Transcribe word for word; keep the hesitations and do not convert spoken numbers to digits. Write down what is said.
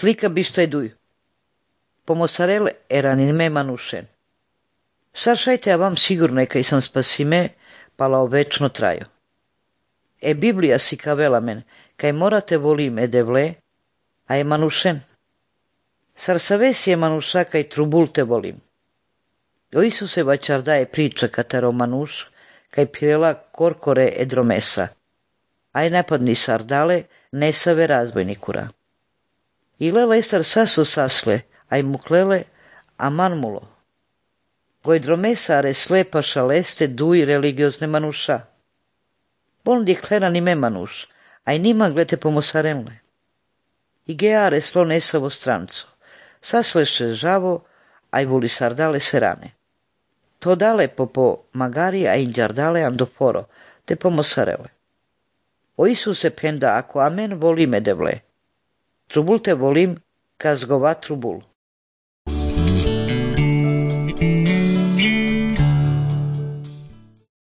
slika bistajdui. Po mozzarella era nime manušen. Sašajte a vam sigurno kaj sam spasime, pala večno trajo. E Biblija si kavela men, kaj morate volim e devle, a je manušen. Sar savesi je manuša kaj trubulte volim. O Isuse vačarda je priča katero manuš, kaj pirela korkore e dromesa. Aj napadni sardale, ne save razbojnikura. Ilela estar saso sasle, aj muklele, a manmulo. Goj dromesa are slepa šaleste duj religiozne manuša. Bon diklera nime manuš, aj nima glete pomosarenle. I geare slo nesavo stranco. Sasleše žavo, aj voli sardale serane. To dale popo magari a inđardale andoforo, te pomosarele. O Isuse penda ako amen volime devle. Trubulte volim, kazgova trubul.